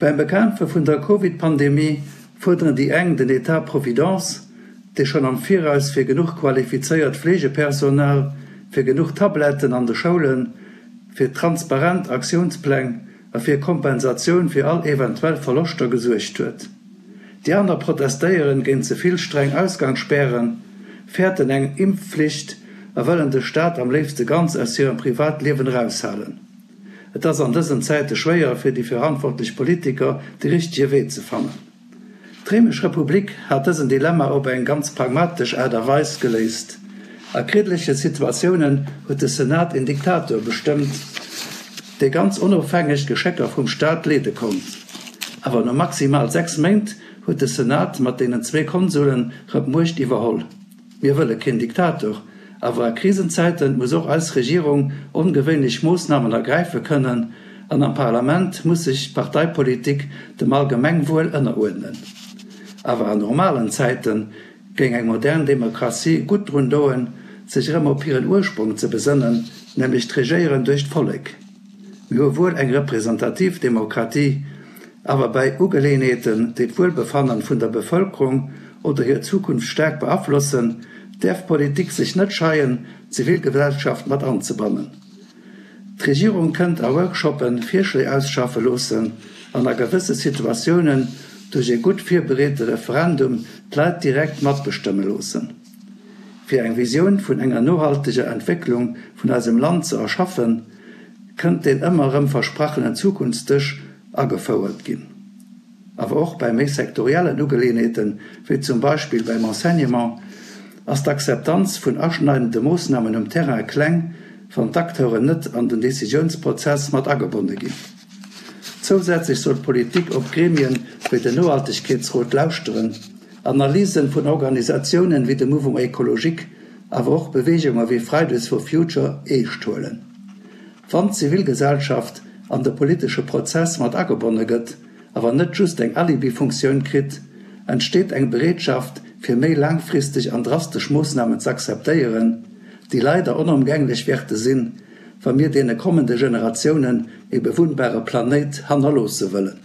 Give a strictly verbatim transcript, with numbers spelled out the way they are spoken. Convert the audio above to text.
Beim Bekämpfe vun der Covid-Pandemie fuerderen déi eng den Etat providence, dee schonn am Viraus fir genuch qualifizéiert Fleegepersonal, fir genuch Tabletten an de Schoulen, fir transparent Aktiounspläng a fir Kompensatioun fir all eventuell Verloschter gesuergt huet. Déi aner protestéieren géint ze vill streng Ausgangsspären, fäerten eng Impfflicht a wëllen de Staat am léifste ganz aus hirem Privatliewen eraushalen. Et ass an dësen Zäite schwéier fir déi verantwortlech Politiker, de richtege Wee ze fannen. D'Réimesch Republik hat dësen Dilemma op eng ganz pragmatesch Aart a Weis geléist. A kriddleche Situatiounen huet de Senat een Diktator bestëmmt, dee ganz onofhängeg d'Geschécker vum Staat leede konnt. Awer no maximal sechs Méint huet de Senat mat deenen zwee Konsulen rëm d'Muecht iwwerholl. Mir wëlle keen Diktator, awer a Krisenzäite muss och eis Regierung ongewéinlech Moossnamen ergräife kënnen an am Parlament muss sech d'Parteipolitik dem Allgemengwuel ënneruerdnen. Awer an normalen Zäite géing eng modern Demokratie gutt drun doen, sech erëm op hiren Ursprong ze besënnen, nämlech d'Regéieren duerch d'Vollek. Mir hu wuel eng representativ Demokratie, awer bäi Ugeleeënheeten, déi d'Wuelbefannen vun der Bevëlkerung oder hir Zukunft staark beaflossen, däerf d'Politik sech net scheien, d'Zivilgesellschaft mat anzebannen. D'Regierung kënnt a Workshoppe Virschléi ausschaffe loossen an a gewësse Situatiounen duerch ee gutt virbereete Referendum d'Leit direkt matbestëmme loossen. Fir eng Visioun vun enger nohalteger Entwécklung vun eisem Land ze erschaffen, kënnt deen ëmmer erëm versprachenen Zukunftsdësch agefouert ginn. Awer och bei méi sektoriellen Ugeleeënheeten, wéi zum Beispill beim Enseignement, ass d'Akzeptanz vun aschneidende Moossnamen um Terrain kleng, wann d'Acteuren net an den Decisiounsprozess mat agebonne ginn. Zousätzlech soll d'Politik op Gremien wéi den Nohaltegkeetsrot lauschteren, Analysen vun Organisatiounen wéi de Mouvement Ecologique, awer och Beweegunge wéi Fridays for Future eescht huelen. Wann d'Zivilgesellschaft an de politesche Prozess mat agebonne gëtt, awer net just eng Alibi-Funktioun kritt, entsteet eng Bereetschaft, fir méi laangfristeg an drastesch Moossnamen z'akzeptéieren, déi leider onomgänglech wäerte sinn, wa mir deene kommende Generatiounen ee bewunnbare Planéit hannerloosse wëllen.